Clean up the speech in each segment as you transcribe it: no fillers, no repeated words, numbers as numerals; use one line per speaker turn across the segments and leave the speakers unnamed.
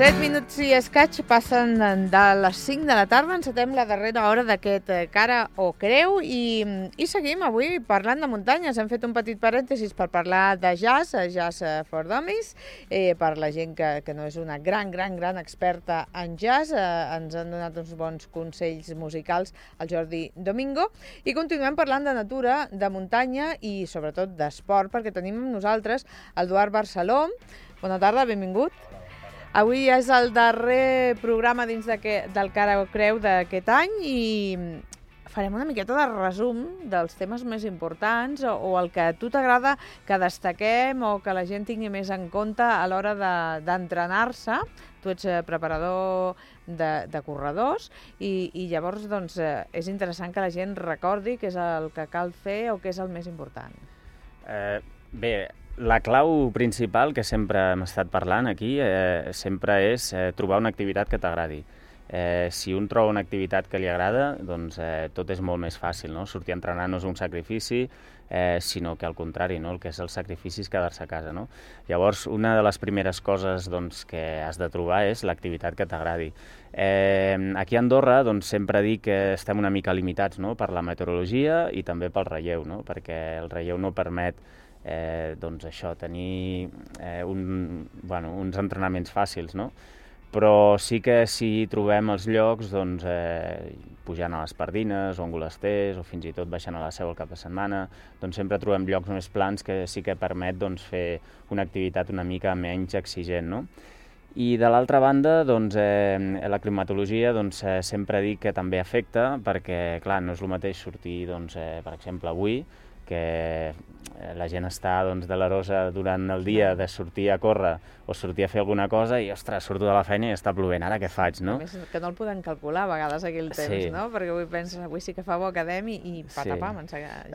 7 minuts i escaig passen de les 5 de la tarda, encetem la darrera hora d'aquest Cara o Creu i seguim avui parlant de muntanyes. Hem fet un petit parèntesis per parlar de jazz, Jazz for Dummies, per la gent que no és una gran experta en jazz. Ens han donat uns bons consells musicals al Jordi Domingo i continuem parlant de natura, de muntanya i sobretot d'esport, perquè tenim amb nosaltres el Eduard Barceló. Bona tarda, benvingut. Avui és el darrer programa dins del Cara o Creu d'aquest any i farem una miqueta de resum dels temes més importants o el que a tu t'agrada que destaquem o que la gent tingui més en compte a l'hora d'entrenar-se. Tu ets preparador de corredors i llavors doncs, és interessant que la gent recordi què és el que cal fer o què és el més important.
Bé, la clau principal que sempre hem estat parlant aquí sempre és trobar una activitat que t'agradi. Si un troba una activitat que li agrada, doncs tot és molt més fàcil, no? Sortir a entrenar no és un sacrifici, sinó que al contrari, no? El que és el sacrifici és quedar-se a casa, no? Llavors, una de les primeres coses doncs, que has de trobar és l'activitat que t'agradi. Aquí a Andorra doncs, sempre dic que estem una mica limitats, no? Per la meteorologia i també pel relleu, no? Perquè el relleu no permet doncs això, tenir uns entrenaments fàcils, no? Però sí que si trobem els llocs doncs, pujant a les Pardines o Angolesters o fins i tot baixant a la Seu el cap de setmana, doncs sempre trobem llocs més plans que sí que permet doncs, fer una activitat una mica menys exigent, no? I de l'altra banda, doncs, la climatologia doncs, sempre dic que també afecta perquè, clar, no és el mateix sortir, doncs, per exemple, avui, que la gent està doncs, delerosa durant el dia de sortir a córrer o sortir a fer alguna cosa i, ostres, surto de la feina i està plovent, ara què faig, no?
A més, que no el podem calcular a vegades aquí el temps, no? Perquè avui penses, avui sí que fa bo academ i patapam.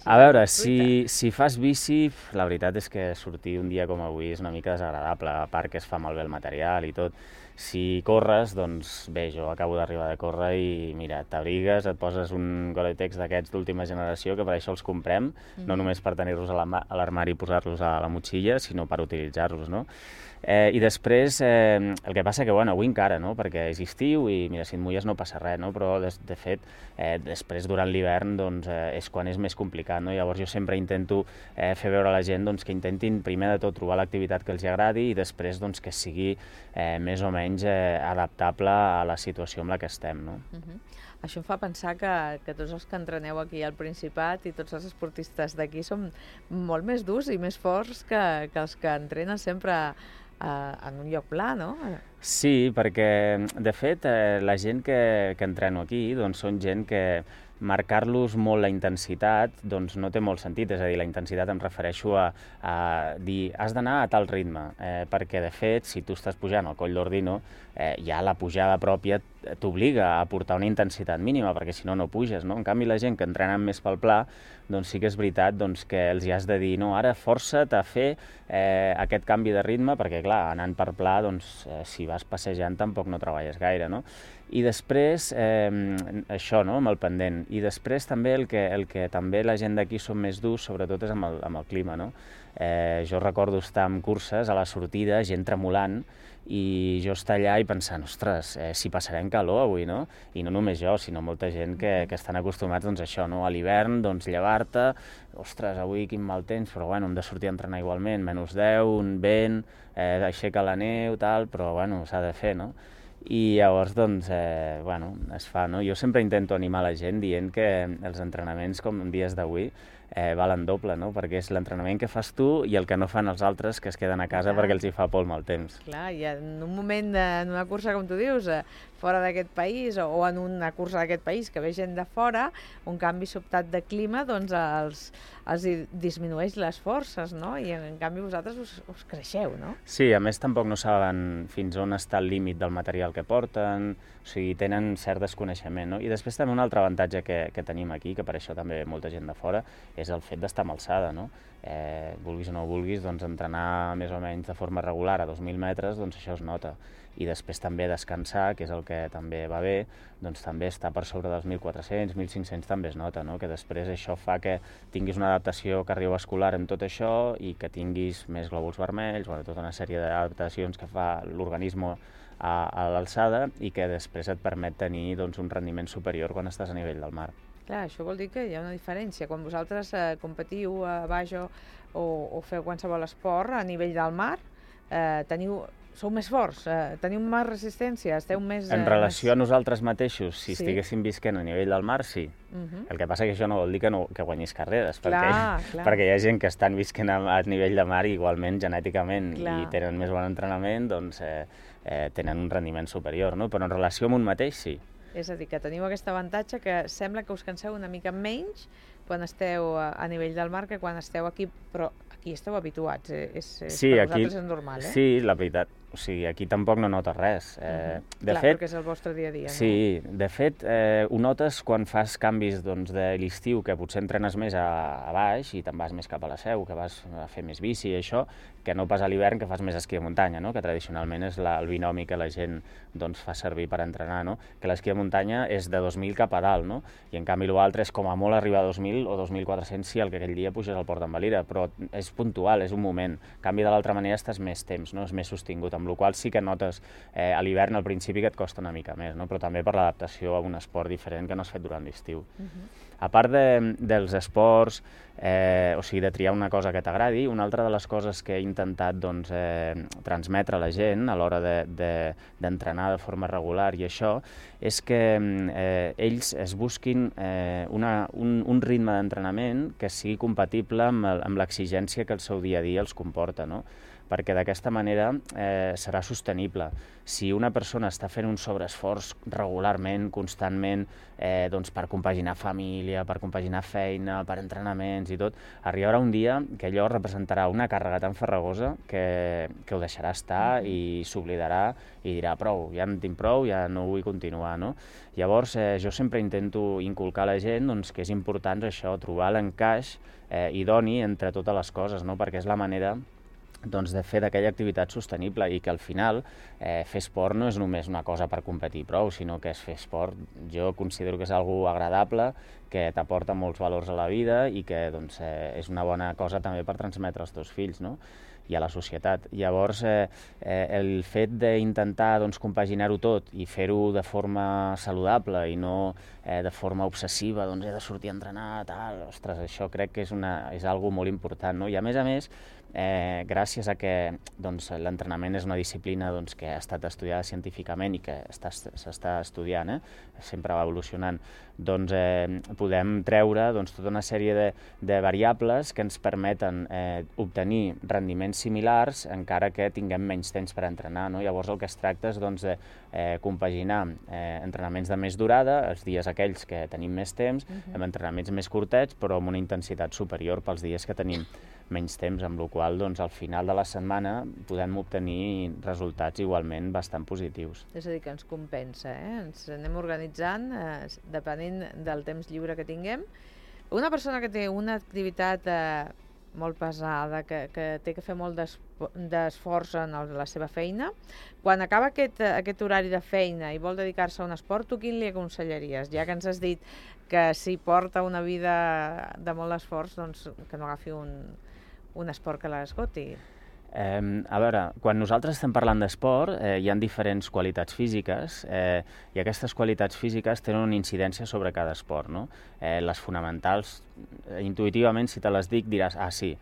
A veure, si fas bici, la veritat és que sortir un dia com avui és una mica desagradable, a part que es fa malbé el material i tot. Si corres, doncs bé, jo acabo d'arribar de córrer i mira, t'abrigues, et poses un Gore-Tex d'aquests d'última generació, que per això els comprem, no només per tenir-los a l'armari i posar-los a la motxilla, sinó per utilitzar-los, no? I després, el que passa que, bueno, avui encara, no? Perquè és estiu i, mira, si et mulles no passa res, no? Però, de fet, després, durant l'hivern, doncs, és quan és més complicat, no? Llavors jo sempre intento fer veure a la gent doncs, que intentin, primer de tot, trobar l'activitat que els agradi i després doncs, que sigui més o menys adaptable a la situació en la que estem, no?
Això em fa pensar que tots els que entreneu aquí al Principat i tots els esportistes d'aquí són molt més durs i més forts que els que entrenen sempre en un lloc pla, no?
Sí, perquè, de fet, la gent que entreno aquí doncs, són gent que marcar-los molt la intensitat doncs no té molt sentit, és a dir, la intensitat em refereixo a dir has d'anar a tal ritme, perquè de fet si tu estàs pujant al Coll d'Ordino ja la pujada pròpia t'obliga a portar una intensitat mínima perquè si no no puges, no? En canvi la gent que entrenen més pel pla doncs sí que és veritat doncs, que els hi has de dir no, ara força't a fer aquest canvi de ritme perquè clar, anant per pla doncs si vas passejant tampoc no treballes gaire, no? I després, això, no?, amb el pendent. I després també el que també la gent d'aquí són més durs, sobretot és amb el clima, no? Jo recordo estar en curses a la sortida, gent tremolant, i jo estar allà i pensant, ostres, si passarem calor avui, no? I no només jo, sinó molta gent que estan acostumats doncs, a això, no? A l'hivern, doncs, llevar-te, ostres, avui quin mal temps, però bueno, hem de sortir a entrenar igualment, -10, un vent, aixeca la neu, tal, però bueno, s'ha de fer, no? I llavors, doncs, es fa, no? Jo sempre intento animar la gent dient que els entrenaments, com en dies d'avui, valen doble, no? Perquè és l'entrenament que fas tu i el que no fan els altres que es queden a casa perquè els hi fa por el mal temps.
Clar, i en un moment, en una cursa, com tu dius, fora d'aquest país o en una cursa d'aquest país que ve gent de fora, un canvi sobtat de clima, doncs els disminueix les forces, no? I en canvi vosaltres us creixeu, no?
Sí, a més tampoc no saben fins on està el límit del material que porten, o sigui, tenen cert desconeixement, no? I després també un altre avantatge que tenim aquí, que per això també ve molta gent de fora, és el fet d'estar amb alçada, no? Vulguis o no vulguis, doncs entrenar més o menys de forma regular a 2.000 metres, doncs això es nota. I després també descansar, que és el que també va bé, doncs també estar per sobre dels 1.400, 1.500 també es nota, no? Que després això fa que tinguis una adaptació cardiovascular en tot això i que tinguis més glòbuls vermells, bueno, tota una sèrie d'adaptacions que fa l'organisme a l'alçada i que després et permet tenir doncs, un rendiment superior quan estàs a nivell del mar.
Clar, això vol dir que hi ha una diferència. Quan vosaltres competiu a baix o feu qualsevol esport a nivell del mar, sou més forts, teniu més resistència, esteu més...
En relació a nosaltres mateixos, si estiguéssim visquent a nivell del mar, sí. El que passa que això no vol dir que guanyis carreres, perquè hi ha gent que estan visquent a nivell de mar i igualment genèticament i tenen més bon entrenament, doncs tenen un rendiment superior, no? Però en relació amb un mateix, sí.
És a dir, que teniu aquest avantatge que sembla que us canseu una mica menys quan esteu a nivell del mar que quan esteu aquí, però aquí esteu habituats,
sí,
per vosaltres és normal, eh?
Sí, la veritat, o sigui, aquí tampoc no notes res.
Clar, perquè és el vostre dia a dia, no?
Sí, de fet, ho notes quan fas canvis doncs, de l'estiu, que potser entrenes més a baix i te'n vas més cap a la Seu, que vas a fer més bici i això, que no pas a l'hivern, que fas més esquí de muntanya, no? Que tradicionalment és el binomi que la gent doncs, fa servir per entrenar, no? Que l'esquí de muntanya és de 2.000 cap a dalt, no? I en canvi l'altre és com a molt arribar a 2.000 o 2.400 si el que aquell dia puges al Port d'en Valira, però és puntual, és un moment. En canvi, de l'altra manera estàs més temps, no? És més sostingut, amb la qual sí que notes a l'hivern al principi que et costa una mica més, no? Però també per l'adaptació a un esport diferent que no has fet durant l'estiu. A part dels esports, o sigui, de triar una cosa que t'agradi, una altra de les coses que he intentat doncs, transmetre a la gent a l'hora d'entrenar de forma regular i això, és que ells es busquin un ritme d'entrenament que sigui compatible amb l'exigència que el seu dia a dia els comporta, no? Perquè d'aquesta manera serà sostenible. Si una persona està fent un sobreesforç regularment, constantment, doncs per compaginar família, per compaginar feina, per entrenaments i tot, arribarà un dia que allò representarà una càrrega tan farragosa que ho deixarà estar i s'oblidarà i dirà prou, ja en tinc prou, ja no vull continuar, no? Llavors, jo sempre intento inculcar a la gent doncs, que és important això, trobar l'encaix idoni entre totes les coses, no? Perquè és la manera doncs, de fer d'aquella activitat sostenible i que al final fer esport no és només una cosa per competir prou, sinó que és fer esport, jo considero que és algo agradable, que t'aporta molts valors a la vida i que doncs, és una bona cosa també per transmetre als teus fills, no? I a la societat. Llavors, el fet d'intentar doncs, compaginar-ho tot i fer-ho de forma saludable i no de forma obsessiva, doncs he de sortir a entrenar, tal, ostres, això crec que és algo molt important, no? I a més, gràcies a que doncs, l'entrenament és una disciplina doncs, que ha estat estudiada científicament i que s'està estudiant, sempre va evolucionant, doncs podem treure doncs, tota una sèrie de variables que ens permeten obtenir rendiments similars encara que tinguem menys temps per entrenar, no? Llavors el que es tracta és doncs, de compaginar entrenaments de més durada, els dies aquells que tenim més temps, amb entrenaments més curtets però amb una intensitat superior pels dies que tenim menys temps, amb la qual doncs, al final de la setmana podem obtenir resultats igualment bastant positius.
És a dir, que ens compensa, ens anem organitzant depenent del temps lliure que tinguem. Una persona que té una activitat molt pesada, que té que fer molt d'esforç en la seva feina, quan acaba aquest horari de feina i vol dedicar-se a un esport, tu quin li aconsellaries? Ja que ens has dit que si porta una vida de molt d'esforç, doncs que no agafi un esport que l'esgoti.
A veure, quan nosaltres estem parlant d'esport, hi ha diferents qualitats físiques i aquestes qualitats físiques tenen una incidència sobre cada esport, no? Les fonamentals, intuïtivament, si te les dic, diràs, sí,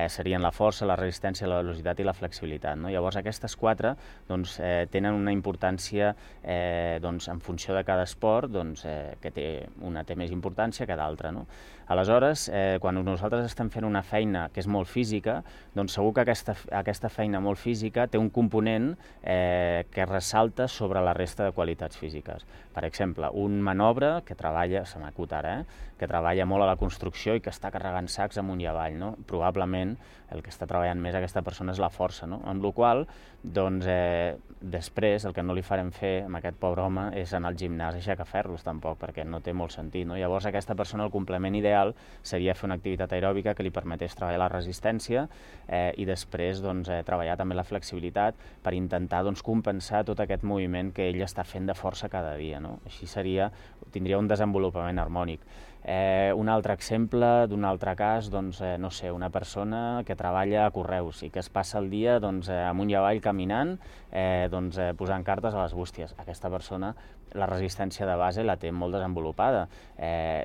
serien la força, la resistència, la velocitat i la flexibilitat, no? Llavors, aquestes quatre doncs, tenen una importància doncs, en funció de cada esport, doncs, que una té més importància que d'altra, no? Aleshores, quan nosaltres estem fent una feina que és molt física, doncs segur que aquesta feina molt física té un component que ressalta sobre la resta de qualitats físiques. Per exemple, un manobre que treballa, se m'acut ara, que treballa molt a la construcció i que està carregant sacs amunt i avall, no? Probablement el que està treballant més aquesta persona és la força, no? Amb la qual cosa, doncs, després, el que no li farem fer amb aquest pobre home és anar al gimnàs i aixecar ferros, tampoc, perquè no té molt sentit, no? Llavors, aquesta persona, el complement ideal seria fer una activitat aeròbica que li permetés treballar la resistència i després doncs, treballar també la flexibilitat per intentar doncs, compensar tot aquest moviment que ell està fent de força cada dia, no? Així tindria un desenvolupament harmònic. Un altre exemple d'un altre cas, doncs, no sé, una persona que treballa a correus i que es passa el dia doncs, amunt i avall caminant, posant cartes a les bústies. Aquesta persona la resistència de base la té molt desenvolupada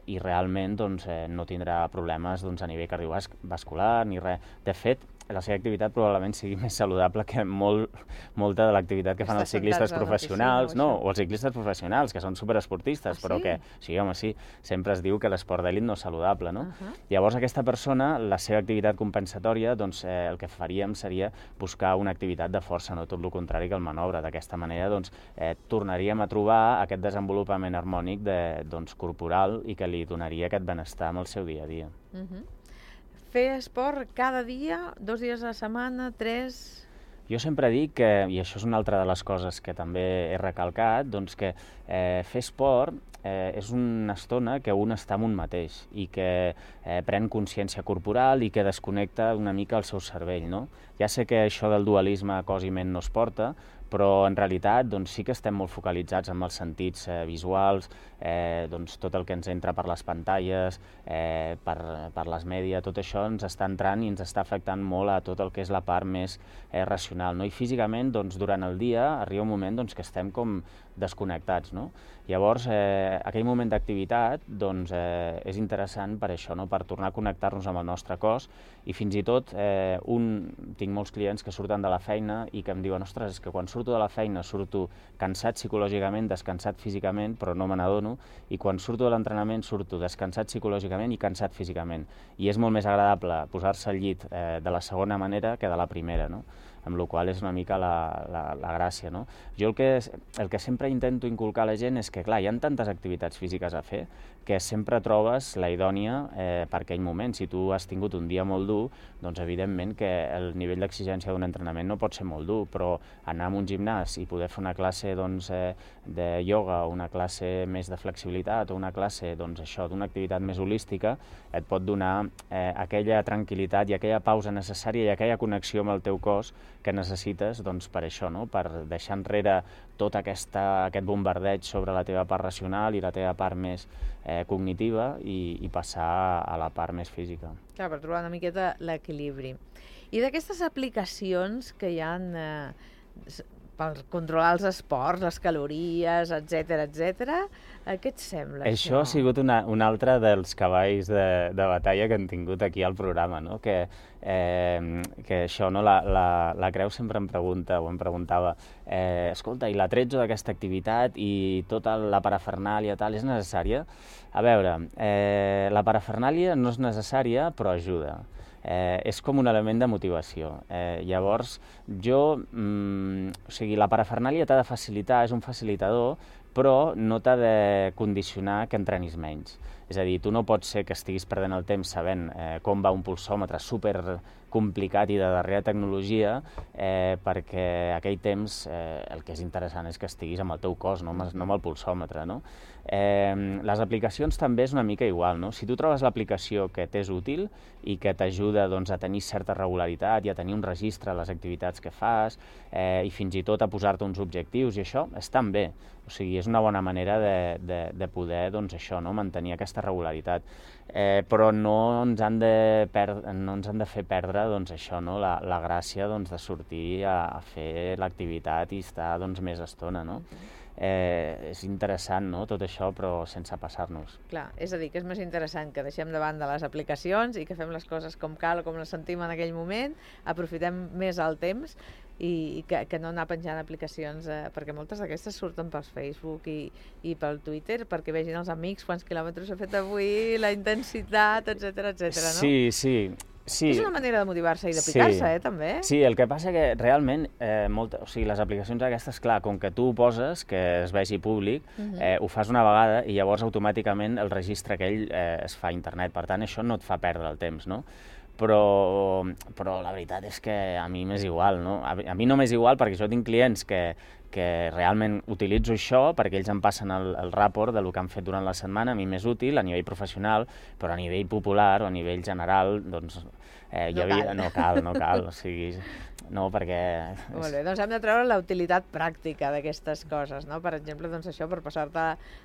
i realment doncs, no tindrà problemes doncs, a nivell cardiovascular ni res. De fet, la seva activitat probablement sigui més saludable que molta de l'activitat que fan els ciclistes professionals, o els ciclistes professionals, que són superesportistes, però que, sí, home, sí, sempre es diu que l'esport d'elit no és saludable, no? Llavors, aquesta persona, la seva activitat compensatòria, doncs, el que faríem seria buscar una activitat de força, no tot el contrari que el manobre. D'aquesta manera, doncs, tornaríem a trobar aquest desenvolupament harmònic corporal i que li donaria aquest benestar amb el seu dia a dia.
Fer esport cada dia, 2 dies a la setmana, 3...
Jo sempre dic que, i això és una altra de les coses que també he recalcat, doncs que fer esport és una estona que un està amb un mateix i que pren consciència corporal i que desconnecta una mica el seu cervell, no? Ja sé que això del dualisme cos i ment no es porta, però en realitat doncs, sí que estem molt focalitzats amb els sentits visuals, doncs, tot el que ens entra per les pantalles, per les mèdia, tot això ens està entrant i ens està afectant molt a tot el que és la part més racional, no? I físicament, doncs, durant el dia arriba un moment doncs, que estem com desconnectats, no? Llavors, aquell moment d'activitat doncs, és interessant per això, no? Per tornar a connectar-nos amb el nostre cos i fins i tot tinc molts clients que surten de la feina i que em diuen, ostres, és que quan surto de la feina surto cansat psicològicament, descansat físicament, però no me n'adono, i quan surto de l'entrenament surto descansat psicològicament i cansat físicament. I és molt més agradable posar-se al llit de la segona manera que de la primera, no? Amb la qual és una mica la gràcia, no? Jo el que sempre intento inculcar a la gent és que, clar, hi ha tantes activitats físiques a fer que sempre trobes la idònia per aquell moment. Si tu has tingut un dia molt dur, doncs evidentment que el nivell d'exigència d'un entrenament no pot ser molt dur, però anar a un gimnàs i poder fer una classe de ioga o una classe més de flexibilitat o una classe d'una activitat més holística et pot donar aquella tranquil·litat i aquella pausa necessària i aquella connexió amb el teu cos que necessites per això, no? Per deixar enrere tot aquest bombardeig sobre la teva part racional i la teva part més cognitiva i passar a la part més física.
Clar, per trobar una miqueta l'equilibri. I d'aquestes aplicacions que hi ha per controlar els esports, les calories, etc, què et sembla això?
Això ha sigut un altre dels cavalls de batalla que hem tingut aquí al programa, no? Que això, no? La Creu sempre em pregunta, o em preguntava, escolta, i l'attrezzo d'aquesta activitat i tota la parafernàlia tal, és necessària? A veure, la parafernàlia no és necessària, però ajuda. És com un element de motivació. Llavors, la parafernàlia t'ha de facilitar, és un facilitador, però no t'ha de condicionar que entrenis menys. És a dir, tu no pots ser que estiguis perdent el temps sabent com va un pulsòmetre super complicat i de darrera tecnologia, perquè aquell temps el que és interessant és que estiguis amb el teu cos, no amb el pulsòmetre, no? Les aplicacions també és una mica igual, no? Si tu trobes l'aplicació que t'és útil i que t'ajuda a tenir certa regularitat i a tenir un registre de les activitats que fas i fins i tot a posar-te uns objectius i això, estan bé. O sigui, és una bona manera de poder mantenir aquesta regularitat. Però no ens han de fer perdre la gràcia de sortir a fer l'activitat i estar més estona, no? És interessant, no?, tot això, però sense passar-nos.
Clar, és a dir, que és més interessant que deixem de banda les aplicacions i que fem les coses com cal o com les sentim en aquell moment, aprofitem més el temps i que no anar penjant aplicacions, perquè moltes d'aquestes surten per Facebook i pel Twitter perquè vegin els amics quants quilòmetres he fet avui, la intensitat, etc, no?
Sí.
És una manera de motivar-se i d'aplicar-se, també.
Sí, el que passa que realment les aplicacions aquestes, clar, com que tu ho poses, que es vegi públic, ho fas una vegada i llavors automàticament el registre aquell es fa a internet. Per tant, això no et fa perdre el temps, no? però la veritat és que a mi m'és igual, no? A mi no m'és igual perquè jo tinc clients que realment utilitzo això perquè ells em passen el rapport del que han fet durant la setmana, a mi m'és útil a nivell professional, però a nivell popular o a nivell general, doncs no cal, o sigui, no, perquè...
Molt bé, doncs hem de treure la utilitat pràctica d'aquestes coses, no? Per exemple, doncs això, per passar-te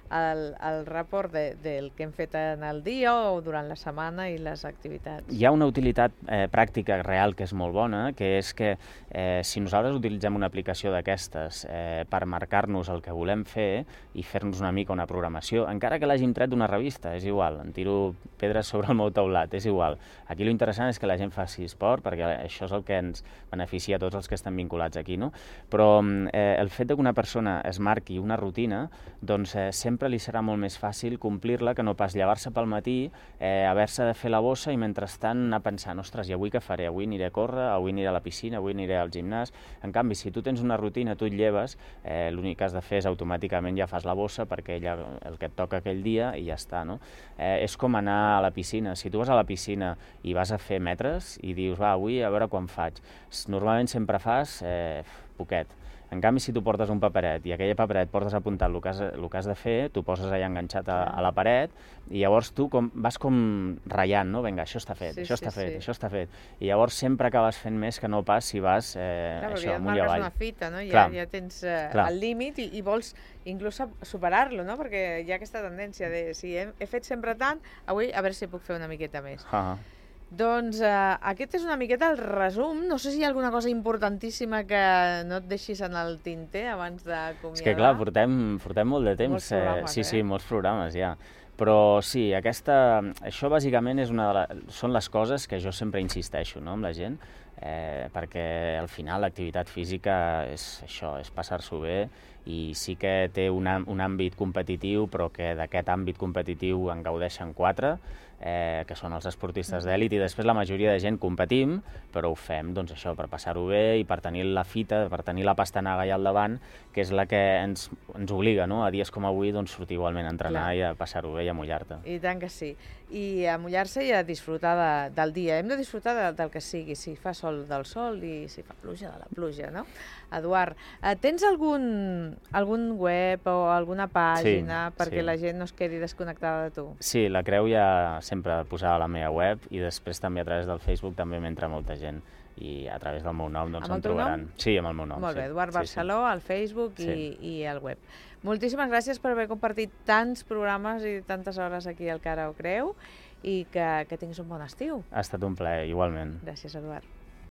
el rapport del que hem fet en el dia o durant la setmana i les activitats.
Hi ha una utilitat pràctica real que és molt bona, que és que si nosaltres utilitzem una aplicació d'aquestes per marcar-nos el que volem fer i fer-nos una mica una programació, encara que l'hàgim tret d'una revista, és igual, em tiro pedres sobre el meu teulat, és igual. Aquí l'interessant és que la gent faci esport, perquè això és el que ens beneficia a tots els que estan vinculats aquí, no? Però el fet que una persona es marqui una rutina, doncs sempre li serà molt més fàcil complir-la que no pas llevar-se pel matí, haver-se de fer la bossa i mentrestant anar pensant, ostres, i avui què faré? Avui aniré a córrer, avui aniré a la piscina, avui aniré al gimnàs. En canvi, si tu tens una rutina, tu et lleves, l'únic que has de fer és automàticament ja fas la bossa perquè ja el que et toca aquell dia i ja està, no? És com anar a la piscina. Si tu vas a la piscina i vas a fer metres i dius, va, avui a veure quan faig. Normalment sempre fas poquet. En canvi, si tu portes un paperet i aquell paperet portes apuntat el que has de fer, tu poses allà enganxat a la paret i llavors tu vas com ratllant, no? Vinga, això està fet, això està fet. I llavors sempre acabes fent més que no pas si vas això, amunt i avall.
Marques una fita, no? Ja tens el límit i vols inclús superar-lo, no? Perquè hi ha aquesta tendència de si he fet sempre tant, avui a veure si puc fer una miqueta més. Doncs aquest és una miqueta el resum. No sé si hi ha alguna cosa importantíssima que no et deixis en el tinter abans d'acomiadar.
És que clar, portem molt de temps.
Molts programes,
sí, molts programes, ja. Però sí, això bàsicament són les coses que jo sempre insisteixo, no, amb la gent, perquè al final l'activitat física és això, és passar-s'ho bé i sí que té un àmbit competitiu, però que d'aquest àmbit competitiu en gaudeixen 4, que són els esportistes d'èlit, i després la majoria de gent competim, però ho fem doncs això, per passar-ho bé i per tenir la fita, per tenir la pastanaga allà al davant, que és la que ens obliga, no? A dies com avui doncs, sortir igualment a entrenar i a passar-ho bé i a mullar-te.
I tant que sí. I a mullar-se i a disfrutar del dia. Hem de disfrutar del que sigui, si fa sol del sol i si fa pluja de la pluja, no? Eduard, tens algun web o alguna pàgina perquè la gent no es quedi desconnectada de tu?
Sí, la Creu ja sempre posava a la meva web i després també a través del Facebook també m'entra molta gent i a través del meu nom doncs em trobaran. Sí, amb el meu nom.
Molt bé, Eduard Barceló, al Facebook i al web. Moltíssimes gràcies per haver compartit tants programes i tantes hores aquí al Cara o Creu i que tinguis un bon estiu.
Ha estat un plaer, igualment.
Gràcies, Eduard.